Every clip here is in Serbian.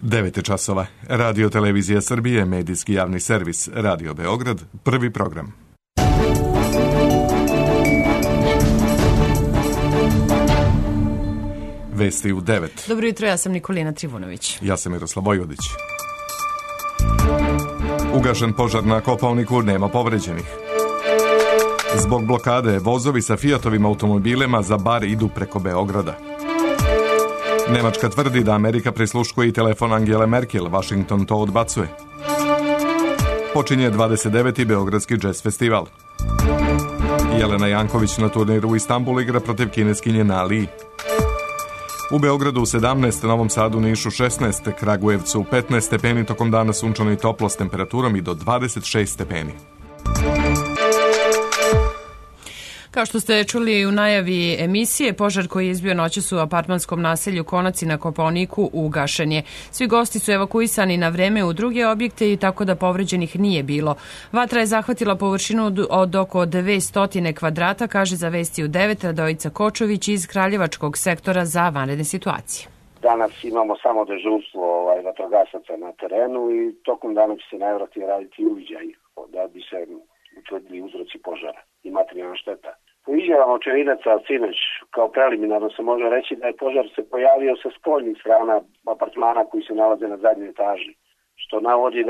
9 časova. Radio Televizija Srbije, medijski javni servis, Radio Beograd, prvi program. Vesti u 9. Dobro jutro, ja sam Nikolina Trivunović. Ja sam Miroslav Vojvodić. Ugašen požar na Kopaoniku, nema povređenih. Zbog blokade, vozovi sa Fiatovim automobilima za bar idu preko Beograda. Nemačka tvrdi da Amerika prisluškuje i telefon Angele Merkel, Washington to odbacuje. Počinje 29. Beogradski džez festival. Jelena Janković na turniru u Istanbulu igra protiv kineskinje Na Li. U Beogradu 17, Novom Sadu, Nišu 16, Kragujevcu 15 stepeni, tokom dana sunčano i toplo s temperaturom i do 26 stepeni. Kao što ste čuli u najavi emisije, požar koji je izbio noćas u apartmanskom naselju Konaci na Kopaoniku ugašen je. Svi gosti su evakuisani na vreme u druge objekte i tako da povređenih nije bilo. Vatra je zahvatila površinu od oko 200 kvadrata, kaže za Vesti u 9 Radojica Kočović iz Kraljevačkog sektora za vanredne situacije. Danas imamo samo dežurstvo vatrogasaca na terenu i tokom dana će se najvjerojatnije raditi uviđaj da bi se utvrdili uzroci požara i materijalna šteta. Po izjavama očevidaca sinoć, kao preliminarno se može reći da je požar se pojavio sa spoljnih strana apartmana koji se nalaze na zadnjoj etaži, što navodi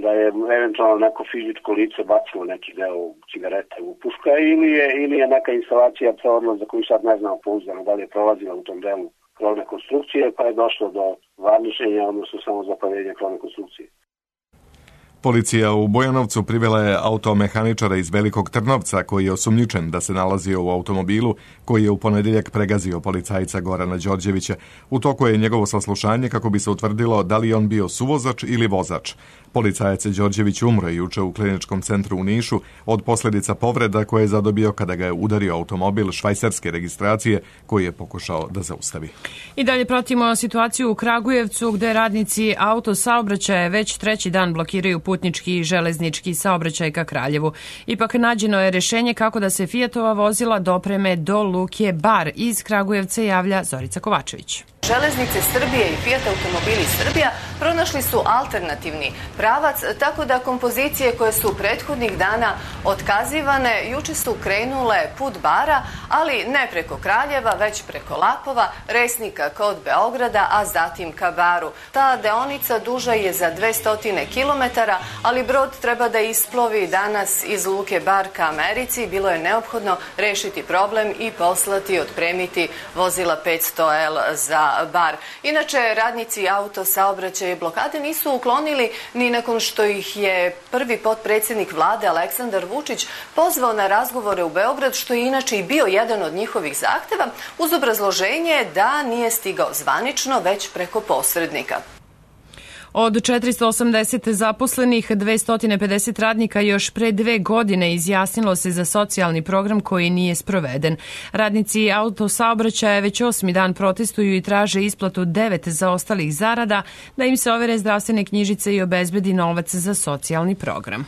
da je eventualno neko fizičko lice bacilo neki deo cigarete u puška ili je neka instalacija prevodna za koju sad ne znamo pouzdano da li je prolazila u tom delu krovne konstrukcije, pa je došlo do varničenja, odnosno samozapaljenja krovne konstrukcije. Policija u Bojanovcu privela je automehaničara iz Velikog Trnovca koji je osumnjičen da se nalazio u automobilu koji je u ponedjeljak pregazio policajca Gorana Đorđevića. U toku je njegovo saslušanje kako bi se utvrdilo da li je on bio suvozač ili vozač. Policajac Đorđević umro juče u kliničkom centru u Nišu od posljedica povreda koje je zadobio kada ga je udario automobil švajcarske registracije koji je pokušao da zaustavi. I dalje pratimo situaciju u Kragujevcu gde radnici autosaobraćaja već treći dan blokiraju putnički i železnički saobraćaj ka Kraljevu. Ipak nađeno je rješenje kako da se Fiatova vozila dopreme do luke Bar. Iz Kragujevca javlja Zorica Kovačević. Železnice Srbije i Fiat automobili Srbija pronašli su alternativni pravac, tako da kompozicije koje su prethodnih dana otkazivane juče su krenule put Bara, ali ne preko Kraljeva, već preko Lapova, Resnika kod Beograda, a zatim ka Baru. Ta deonica duža je za 200 km, ali brod treba da isplovi danas iz luke Bar ka Americi. Bilo je neophodno rešiti problem i poslati, otpremiti vozila 500L za Bar. Inače, radnici autosaobraćaja blokade nisu uklonili ni nakon što ih je prvi potpredsjednik vlade Aleksandar Vučić pozvao na razgovore u Beograd, što je inače i bio jedan od njihovih zahteva, uz obrazloženje da nije stigao zvanično, već preko posrednika. Od 480 zaposlenih, 250 radnika još pre 2 godine izjasnilo se za socijalni program koji nije sproveden. Radnici autosaobraćaja već 8. dan protestuju i traže isplatu 9 zaostalih zarada, da im se overe zdravstvene knjižice i obezbedi novac za socijalni program.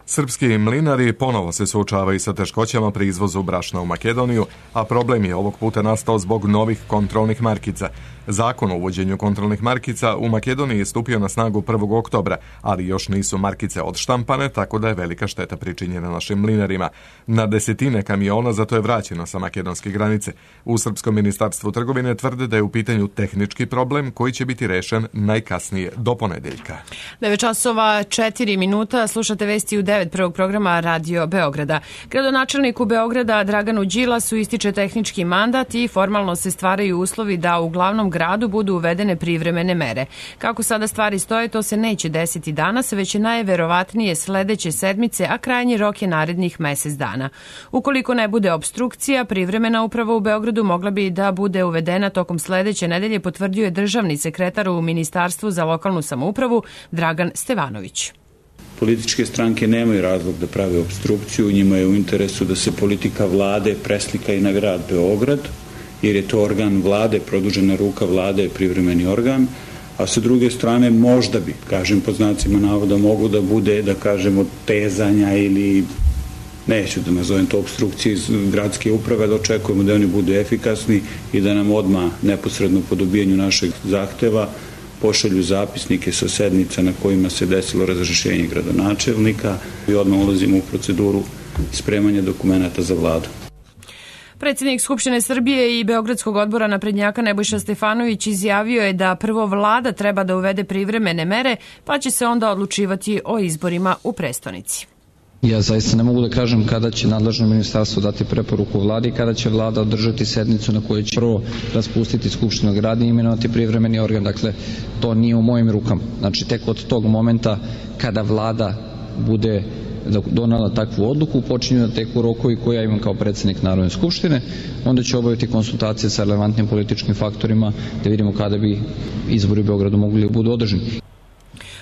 Srpski mlinari ponovo se suočavaju sa teškoćama pri izvozu brašna u Makedoniju, a problem je ovog puta nastao zbog novih kontrolnih markica. Zakon o uvođenju kontrolnih markica u Makedoniji je stupio na snagu 1. oktobra, ali još nisu markice odštampane, tako da je velika šteta pričinjena našim mlinarima. Na desetine kamiona zato je vraćeno sa makedonske granice. U Srpskom ministarstvu trgovine tvrde da je u pitanju tehnički problem koji će biti rešen najkasnije do ponedeljka. 9 časova 4 minuta, slušate Vesti u 9 prvog programa Radio Beograda. Gradonačelniku Beograda Draganu Đilasu ističe tehnički mandat i formalno se stvaraju uslovi da u glavnom gradu budu uvedene privremene mere. Kako sada stvari stoje, to se neće desiti danas, već je najverovatnije sledeće sedmice, a krajnji rok je narednih mesec dana. Ukoliko ne bude opstrukcija, privremena uprava u Beogradu mogla bi da bude uvedena tokom sledeće nedelje, potvrdio je državni sekretar u Ministarstvu za lokalnu samoupravu Dragan Stevanović. Političke stranke nemaju razlog da prave opstrukciju, njima je u interesu da se politika vlade preslika i na grad Beograd, jer je to organ vlade, produžena ruka vlade je privremeni organ, a sa druge strane možda bi, kažem pod znacima navoda, mogu da bude, da kažemo, tezanja ili, neću da nazovem to opstrukcije iz gradske uprave, da očekujemo da oni budu efikasni i da nam odmah neposredno po dobijanju našeg zahteva pošalju zapisnike sa sednica na kojima se desilo razrješenje gradonačelnika i odmah ulazimo u proceduru spremanja dokumenata za vladu. Predsjednik Skupštine Srbije i Beogradskog odbora naprednjaka Nebojša Stefanović izjavio je da prvo vlada treba da uvede privremene mere, pa će se onda odlučivati o izborima u prestonici. Ja zaista ne mogu da kažem kada će nadležno ministarstvo dati preporuku vladi i kada će vlada održati sednicu na kojoj će prvo raspustiti Skupštinu grada i imenovati privremeni organ. Dakle, to nije u mojim rukama. Znači, tek od tog momenta kada vlada bude donala takvu odluku, počinju da teku rokovi koje ja imam kao predsjednik Narodne skupštine, onda će obaviti konsultacije sa relevantnim političkim faktorima da vidimo kada bi izbori u Beogradu mogli da budu održani.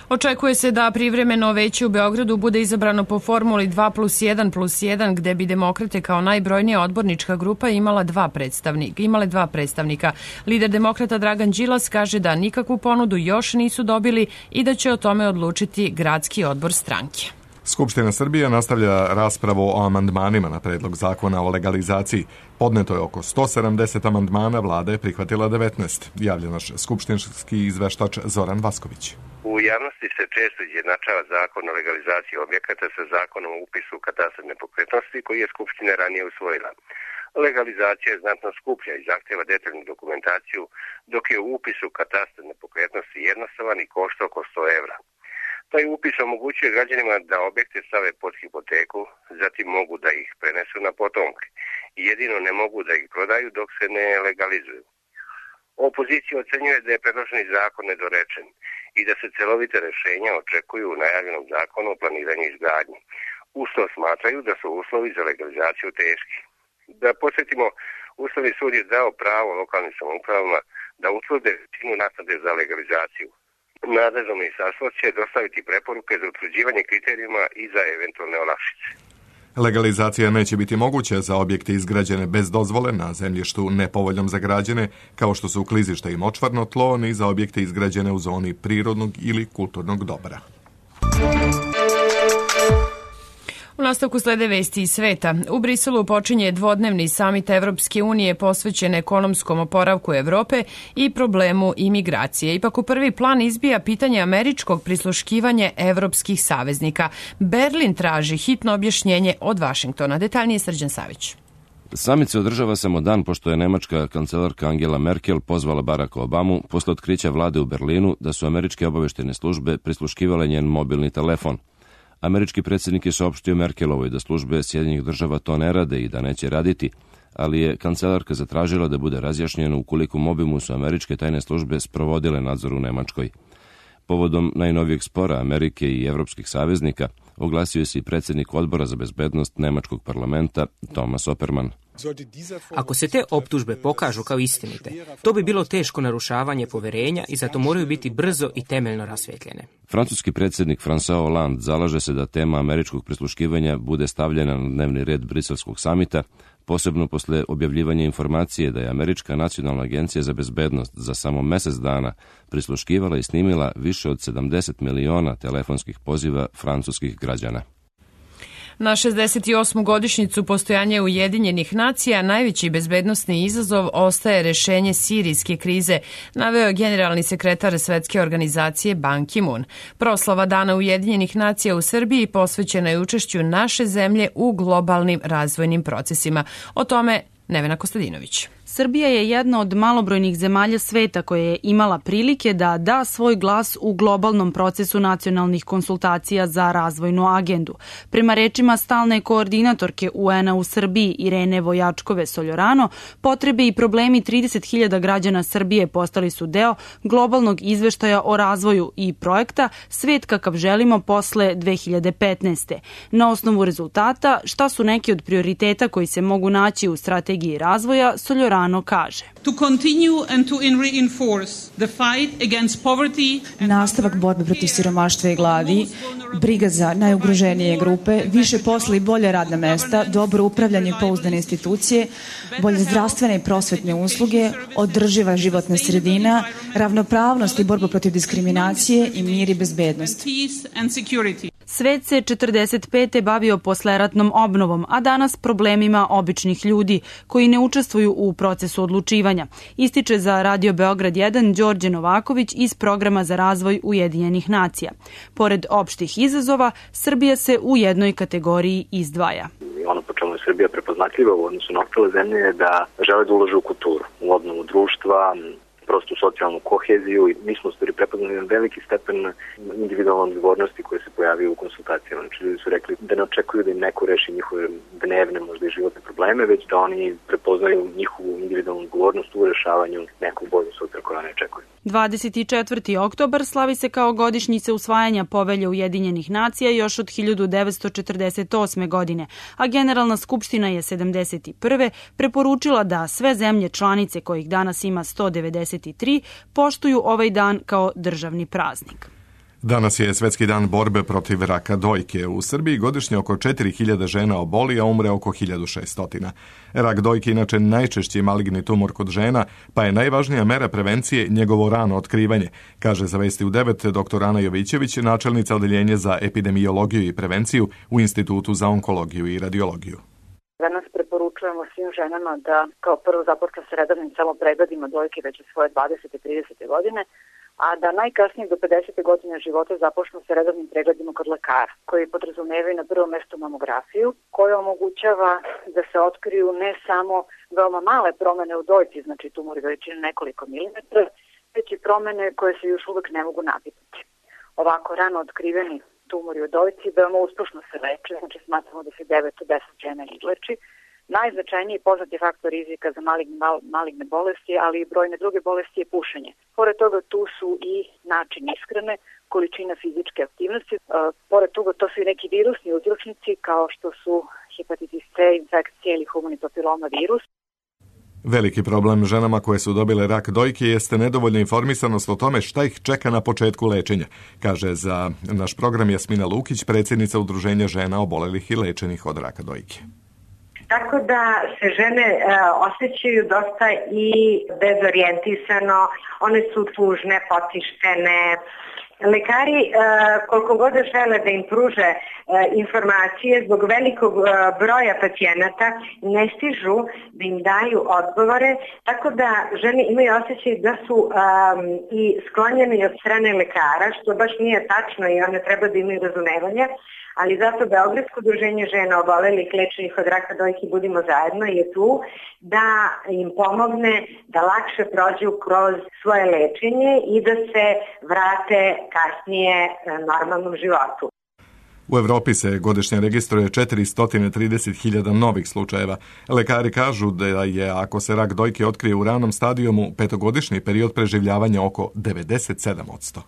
Očekuje se da privremeno veće u Beogradu bude izabrano po formuli 2+1+1, gde bi Demokrate kao najbrojnija odbornička grupa imale dva predstavnika. Lider Demokrata Dragan Đilas kaže da nikakvu ponudu još nisu dobili i da će o tome odlučiti gradski odbor stranke. Skupština Srbije nastavlja raspravu o amandmanima na predlog zakona o legalizaciji. Podneto je oko 170 amandmana, vlada je prihvatila 19. Javlja naš skupštinski izveštač Zoran Vasković. U javnosti se često izjednačava zakon o legalizaciji objekata sa zakonom o upisu u katastar nepokretnosti koji je Skupština ranije usvojila. Legalizacija je znatno skuplja i zahtjeva detaljnu dokumentaciju, dok je upis u katastar nepokretnosti jednostavan i košta oko 100 evra. Taj upis omogućuje građanima da objekte stave pod hipoteku, zatim mogu da ih prenesu na potomke. Jedino ne mogu da ih prodaju dok se ne legalizuju. Opozicija ocenjuje da je predloženi zakon nedorečen i da se celovite rješenja očekuju u najavljenom zakonu o planiranju izgradnje. Uz to smatraju da su uslovi za legalizaciju teški. Da podsjetimo, Ustavni sud je dao pravo lokalnim samoupravama da utvrde visinu naknade za legalizaciju. Nadležno ministarstvo će dostaviti preporuke za utvrđivanje kriterijuma i za eventualne olakšice. Legalizacija neće biti moguća za objekte izgrađene bez dozvole na zemljištu nepovoljnom za građane, kao što su klizišta i močvarno tlo, ni za objekte izgrađene u zoni prirodnog ili kulturnog dobra. U nastavku slede vesti iz sveta. U Briselu počinje dvodnevni samit Evropske unije posvećen ekonomskom oporavku Evrope i problemu imigracije. Ipak u prvi plan izbija pitanje američkog prisluškivanja evropskih saveznika. Berlin traži hitno objašnjenje od Vašingtona. Detaljnije Srđan Savić. Samit se održava samo dan pošto je nemačka kancelarka Angela Merkel pozvala Baracka Obamu posle otkrića vlade u Berlinu da su američke obaveštene službe prisluškivale njen mobilni telefon. Američki predsjednik je saopštio Merkelovoj da službe Sjedinjenih država to ne rade i da neće raditi, ali je kancelarka zatražila da bude razjašnjeno u kolikom obimu su američke tajne službe sprovodile nadzor u Nemačkoj. Povodom najnovijeg spora Amerike i evropskih saveznika oglasio se i predsjednik odbora za bezbednost Nemačkog parlamenta Thomas Oppermann. Ako se te optužbe pokažu kao istinite, to bi bilo teško narušavanje poverenja i zato moraju biti brzo i temeljno rasvetljene. Francuski predsjednik François Hollande zalaže se da tema američkog prisluškivanja bude stavljena na dnevni red briselskog samita, posebno posle objavljivanja informacije da je Američka nacionalna agencija za bezbednost za samo mjesec dana prisluškivala i snimila više od 70 miliona telefonskih poziva francuskih građana. Na 68. godišnjicu postojanja Ujedinjenih nacija najveći bezbednosni izazov ostaje rešenje sirijske krize, naveo je generalni sekretar Svetske organizacije Ban Ki-moon. Proslava Dana Ujedinjenih nacija u Srbiji posvećena je učešću naše zemlje u globalnim razvojnim procesima. O tome Nevena Kostadinović. Srbija je jedna od malobrojnih zemalja sveta koja je imala prilike da da svoj glas u globalnom procesu nacionalnih konsultacija za razvojnu agendu. Prema rečima stalne koordinatorke UN-a u Srbiji Irene Vojačkove-Soljorano, potrebe i problemi 30.000 građana Srbije postali su deo globalnog izveštaja o razvoju i projekta Svet kakav želimo posle 2015. Na osnovu rezultata, šta su neki od prioriteta koji se mogu naći u strategiji razvoja, Soljorano kaže. Nastavak borbe protiv siromaštva i gladi, briga za najugroženije grupe, više posla i bolje radna mesta, dobro upravljanje i pouzdane institucije, bolje zdravstvene i prosvetne usluge, održiva životna sredina, ravnopravnost i borba protiv diskriminacije i mir i bezbednost. Svet se 45. bavio posleratnom obnovom, a danas problemima običnih ljudi koji ne učestvuju u procesu odlučivanja. Ističe za Radio Beograd 1 Đorđe Novaković iz Programa za razvoj Ujedinjenih nacija. Pored opštih izazova, Srbija se u jednoj kategoriji izdvaja. Ono po čemu je Srbija prepoznatljiva u odnosu na ostale zemlje je da žele da ulažu u kulturu, u obnovu društva, prostu socijalnu koheziju i mi smo stvari prepoznali na veliki stepen individualne odgovornosti koje se pojavio u konsultacijama. Znači ljudi su rekli da ne očekuju da im neko reši njihove dnevne, možda i životne probleme, već da oni prepoznaju njihovu individualnu odgovornost u rešavanju nekog boljeg sutra koja ne očekuju. 24. oktobar slavi se kao godišnjica usvajanja Povelje Ujedinjenih nacija još od 1948. godine, a Generalna skupština je 71. preporučila da sve zemlje članice kojih danas ima 193 poštuju ovaj dan kao državni praznik. Danas je Svetski dan borbe protiv raka dojke. U Srbiji godišnje oko 4000 žena oboli, a umre oko 1600. Rak dojke inače najčešći maligni tumor kod žena, pa je najvažnija mera prevencije njegovo rano otkrivanje, kaže za Vesti u 9 dr. Ana Jovićević, načelnica odeljenja za epidemiologiju i prevenciju u Institutu za onkologiju i radiologiju. Danas preporučujemo svim ženama da kao prvo započnu s redovnim samopregledima dojke već u svoje 20. i 30. godine, a da najkasnije do 50. godine života započnu sa redovnim pregledima kod lekara, koji podrazumevaju na prvom mestu mamografiju, koja omogućava da se otkriju ne samo veoma male promene u dojci, znači tumori veličine nekoliko milimetra, već i promene koje se još uvek ne mogu nabiti. Ovako rano otkriveni tumori u dojci veoma uspešno se leče, znači smatramo da se 9 od 10 žena izleči. Najznačajniji poznati faktor rizika za maligne bolesti, ali i brojne druge bolesti je pušenje. Pored toga tu su i način ishrane, količina fizičke aktivnosti. Pored toga to su i neki virusni uzročnici kao što su hepatitis C, infekcija ili humani papiloma virus. Veliki problem ženama koje su dobile rak dojke jeste nedovoljna informisanost o tome šta ih čeka na početku lečenja, kaže za naš program Jasmina Lukić, predsjednica Udruženja žena obolelih i lečenih od raka dojke. Tako da se žene osjećaju dosta i dezorijentisano, one su tužne, potištene. Lekari, koliko god žele da im pruže informacije, zbog velikog broja pacijenata ne stižu da im daju odgovore, tako da žene imaju osjećaj da su i sklonjene od strane lekara, što baš nije tačno i one treba da imaju razumevanje. Ali zato Beogradsko udruženje žena obolelih lečenih od raka dojke Budimo zajedno je tu da im pomogne da lakše prođu kroz svoje lečenje i da se vrate kasnije normalnom životu. U Evropi se godišnje registruje 430.000 novih slučajeva. Lekari kažu da je, ako se rak dojke otkrije u ranom stadijumu, 5-godišnji period preživljavanja oko 97%.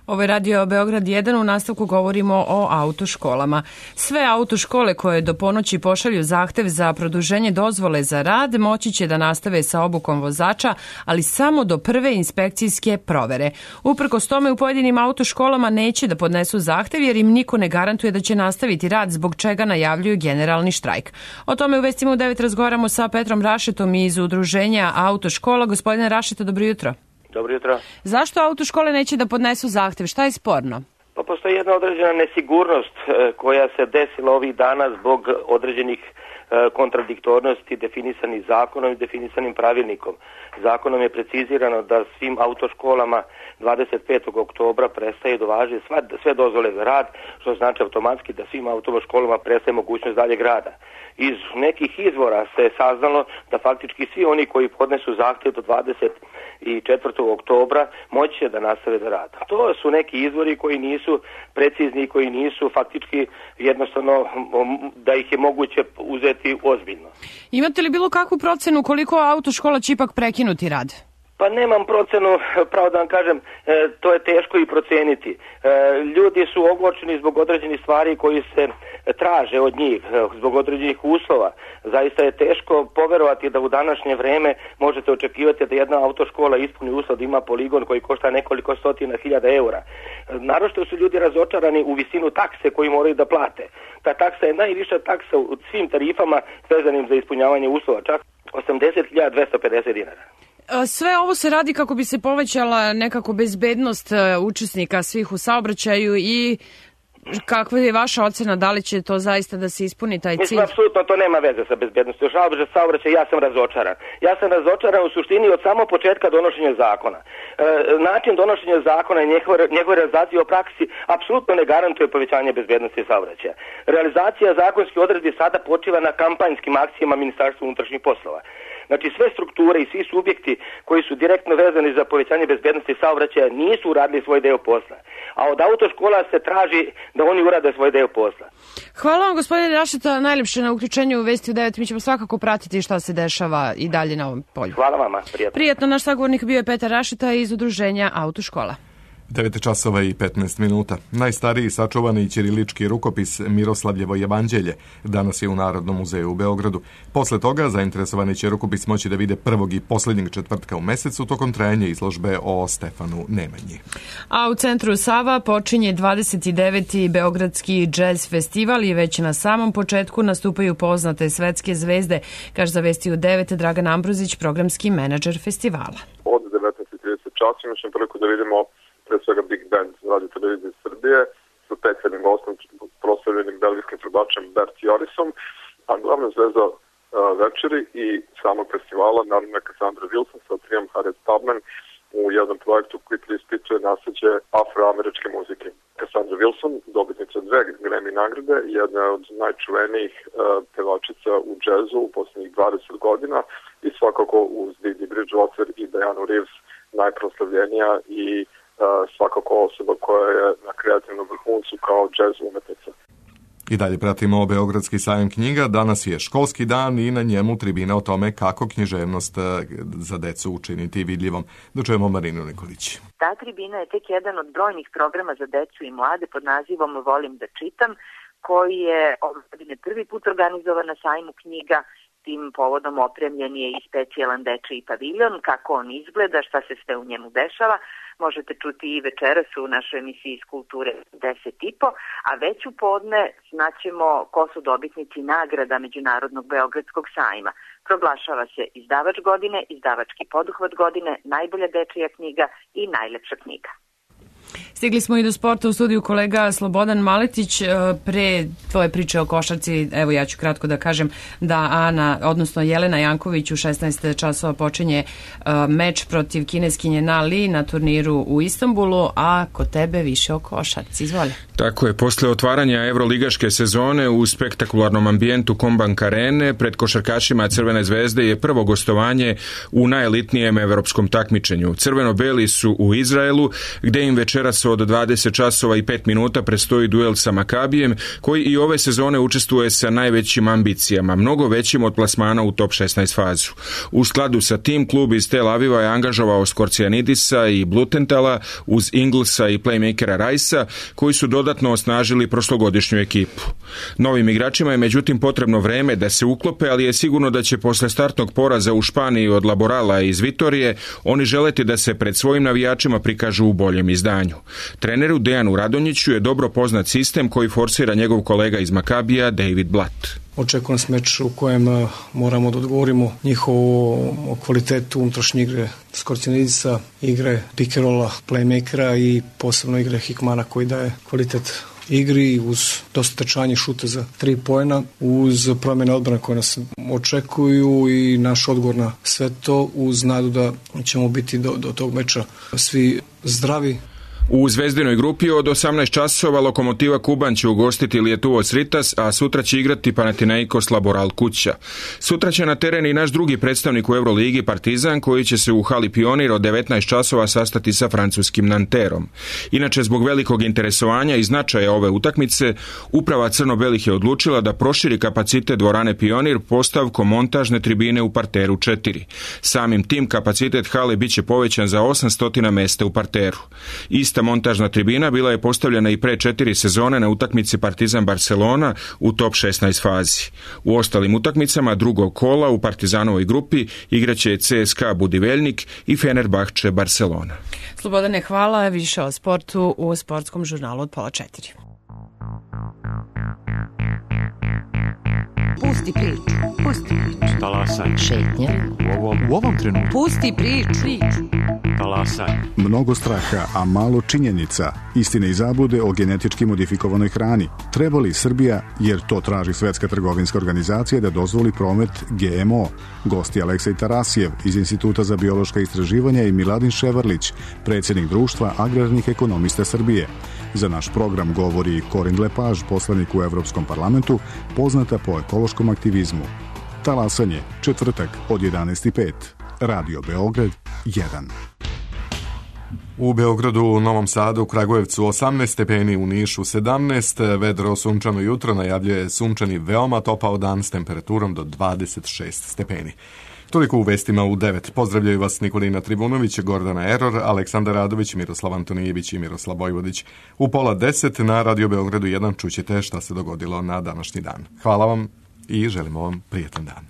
Ovo je Radio Beograd 1, u nastavku govorimo o autoškolama. Sve autoškole koje do ponoći pošalju zahtev za produženje dozvole za rad moći će da nastave sa obukom vozača, ali samo do prve inspekcijske provere. Uprkos tome u pojedinim autoškolama neće da podnesu zahtev jer im niko ne garantuje da će nastaviti rad, zbog čega najavljuju generalni štrajk. O tome u Vestima u 9 razgovaramo sa Petrom Rašetom iz Udruženja autoškola. Gospodine Rašeta, dobro jutro. Dobro jutro. Zašto autoškole neće da podnesu zahtev? Šta je sporno? Pa postoji jedna određena nesigurnost koja se desila ovih dana zbog određenih kontradiktornosti definisanih zakonom i definisanim pravilnikom. Zakonom je precizirano da svim autoškolama 25. oktobra prestaje da važe sve dozvole za rad, što znači automatski da svim autoškolama prestaje mogućnost daljeg rada. Iz nekih izvora se saznalo da faktički svi oni koji podnesu zahtjev do 24. oktobra moći će da nastave da rade. To su neki izvori koji nisu precizni, koji nisu faktički jednostavno da ih je moguće uzeti ozbiljno. Imate li bilo kakvu procenu koliko autoškola će ipak prekinuti rad? Pa nemam procenu, pravo da vam kažem, to je teško i proceniti. Ljudi su ogorčeni zbog određenih stvari koji se traže od njih, zbog određenih uslova. Zaista je teško poverovati da u današnje vreme možete očekivati da jedna autoškola ispuni uslov da ima poligon koji košta nekoliko stotina hiljada eura. Naročito su ljudi razočarani u visinu takse koju moraju da plate. Ta taksa je najviša taksa u svim tarifama vezanim za ispunjavanje uslova, čak 80.250 dinara. Sve ovo se radi kako bi se povećala nekako bezbednost učesnika svih u saobraćaju i kakva je vaša ocena, da li će to zaista da se ispuni taj cilj? Mislim, apsolutno to nema veze sa bezbednostom saobraćaja, ja sam razočaran. Ja sam razočaran u suštini od samog početka donošenja zakona. Način donošenja zakona i njegove realizacije u praksi apsolutno ne garantuje povećanje bezbednosti saobraćaja. Realizacija zakonskih odredbi sada počiva na kampanjskim akcijama Ministarstva unutrašnjih poslova. Znači, sve strukture i svi subjekti koji su direktno vezani za povećanje bezbednosti saobraćaja nisu uradili svoj deo posla. A od autoškola se traži da oni urade svoj deo posla. Hvala vam, gospodine Rašeta, najljepše na uključenju u Vesti u 9. Mi ćemo svakako pratiti šta se dešava i dalje na ovom polju. Hvala vama, prijatno. Prijetno, naš sagovornik bio je Petar Rašeta iz Udruženja Autoškola. 9 časova i 15 minuta. Najstariji sačuvani ćirilički rukopis Miroslavljevo evanđelje danas je u Narodnom muzeju u Beogradu. Posle toga zainteresovani će rukopis moći da vide prvog i posljednjeg četvrtka u mesecu tokom trajanja izložbe o Stefanu Nemanji. A u centru Sava počinje 29. Beogradski džez festival i već na samom početku nastupaju poznate svetske zvezde, kaže za Vesti u 9 Dragan Ambrozić, programski menadžer festivala. Od 19:30 časa imaćemo priliku da vidimo pre svega Big Band Radio Televizije Srbije sa specijalnim gostom, proslavljenim belgijskim trubačem Bert Jorisom, a glavna zvezda večeri i samog festivala naravno je Cassandra Wilson sa triom Harriet Tubman u jednom projektu koji preispituje nasleđe afroameričke muzike. Cassandra Wilson, dobitnica 2 Grammy nagrade, jedna od najčuvenijih pevačica u džezu u posljednjih 20 godina i svakako uz Didi Bridgewater i Dianu Reeves najproslavljenija i svakako osoba koja je na kreativnom vrhuncu kao džez umetnica. I dalje pratimo Beogradski sajam knjiga. Danas je školski dan i na njemu tribina o tome kako književnost za decu učiniti vidljivom. Dočujemo Marinu Nikolić. Ta tribina je tek jedan od brojnih programa za decu i mlade pod nazivom Volim da čitam, koji je ove godine prvi put organizovan na sajmu knjiga. Tim povodom opremljen je i specijalan dečiji paviljon. Kako on izgleda, šta se sve u njemu dešava, možete čuti i večeras u našoj emisiji iz Kulture 10.30, a već u podne znaćemo ko su dobitnici nagrada Međunarodnog Beogradskog sajma. Proglašava se izdavač godine, izdavački poduhvat godine, najbolja dečija knjiga i najlepša knjiga. Stigli smo i do sporta u studiju kolega Slobodan Maletić. Pre tvoje priče o košarci, evo ja ću kratko da kažem da Jelena Janković u 16 časova počinje meč protiv kineskinje Na Li na turniru u Istanbulu, a kod tebe više o košarci. Izvoli. Tako je, posle otvaranja evroligaške sezone u spektakularnom ambijentu Kombank Arene pred košarkašima Crvene zvezde je prvo gostovanje u najelitnijem evropskom takmičenju. Crveno-beli su u Izraelu, gde im večeras od 20 časova i 5 minuta predstoji duel sa Makabijem, koji i ove sezone učestvuje sa najvećim ambicijama, mnogo većim od plasmana u top 16 fazu. U skladu sa tim, klub iz Tel Aviva je angažovao Skorcianidisa i Blutentala uz Inglesa i playmakera Rajsa, koji su dodatno osnažili prošlogodišnju ekipu. Novim igračima je međutim potrebno vreme da se uklope, ali je sigurno da će posle startnog poraza u Španiji od Laborala iz Vitorije oni želeti da se pred svojim navijačima prikažu u boljem izdanju. Treneru Dejanu Radonjiću je dobro poznat sistem koji forsira njegov kolega iz Makabija David Blatt. Očekujem nas meč u kojem moramo da odgovorimo njihovu kvalitetu unutrašnje igre Skorcianidisa, igre pick-and-rolla, playmakera i posebno igre Hikmana koji daje kvalitet igri uz dosta trčanja šuta za 3 poena, uz promjene odbrane koje nas očekuju i naš odgovor na sve to uz nadu da ćemo biti do tog meča svi zdravi. U zvezdinoj grupi od 18 časova Lokomotiva Kuban će ugostiti Lietuvo Ritas, a sutra će igrati Panathinaikos Laboral kuća. Sutra će na teren i naš drugi predstavnik u Euroligi Partizan, koji će se u hali Pionir od 19 časova sastati sa francuskim Nanterom. Inače, zbog velikog interesovanja i značaja ove utakmice, uprava crno-belih je odlučila da proširi kapacitet dvorane Pionir postavkom montažne tribine u parteru 4. Samim tim kapacitet hale biće povećan za 800 mesta u parteru. Ista montažna tribina bila je postavljena i pre 4 sezone na utakmici Partizan Barcelona u top 16 fazi. U ostalim utakmicama drugog kola u Partizanovoj grupi igraće CSKA Budivelnik i Fenerbahče Barcelona. Slobodane, hvala. Više o sportu u sportskom žurnalu od 3:30. 9 časova i 22 minuta. Slušate Vesti u 9 Pusti priču. Pusti priču. Talasaj. Šetnja. U ovom trenutku. Pusti priču. Talasaj. Mnogo straha, a malo činjenica. Istine i zablude o genetički modifikovanoj hrani. Treba li Srbija, jer to traži Svetska trgovinska organizacija, da dozvoli promet GMO? Gosti Aleksej Tarasijev iz Instituta za biološka istraživanja i Miladin Ševarlić, predsjednik Društva agrarnih ekonomista Srbije. Za naš program govori Corinne Lepage, poslanik u Evropskom parlamentu, poznata po ekološkom aktivizmu. Talasanje, četvrtak od 11:05. Radio Beograd 1. U Beogradu, u Novom Sadu, u Kragujevcu 18 stepeni, u Nišu 17, vedro sunčano jutro, najavljuje sunčani veoma topao dan s temperaturom do 26 stepeni. Toliko u vestima u 9. Pozdravljaju vas Nikolina Tribunović, Gordana Eror, Aleksandar Radović, Miroslav Antonijević i Miroslav Vojvodić. U 9:30 na Radio Beogradu 1 čućete šta se dogodilo na današnji dan. Hvala vam i želimo vam prijetan dan.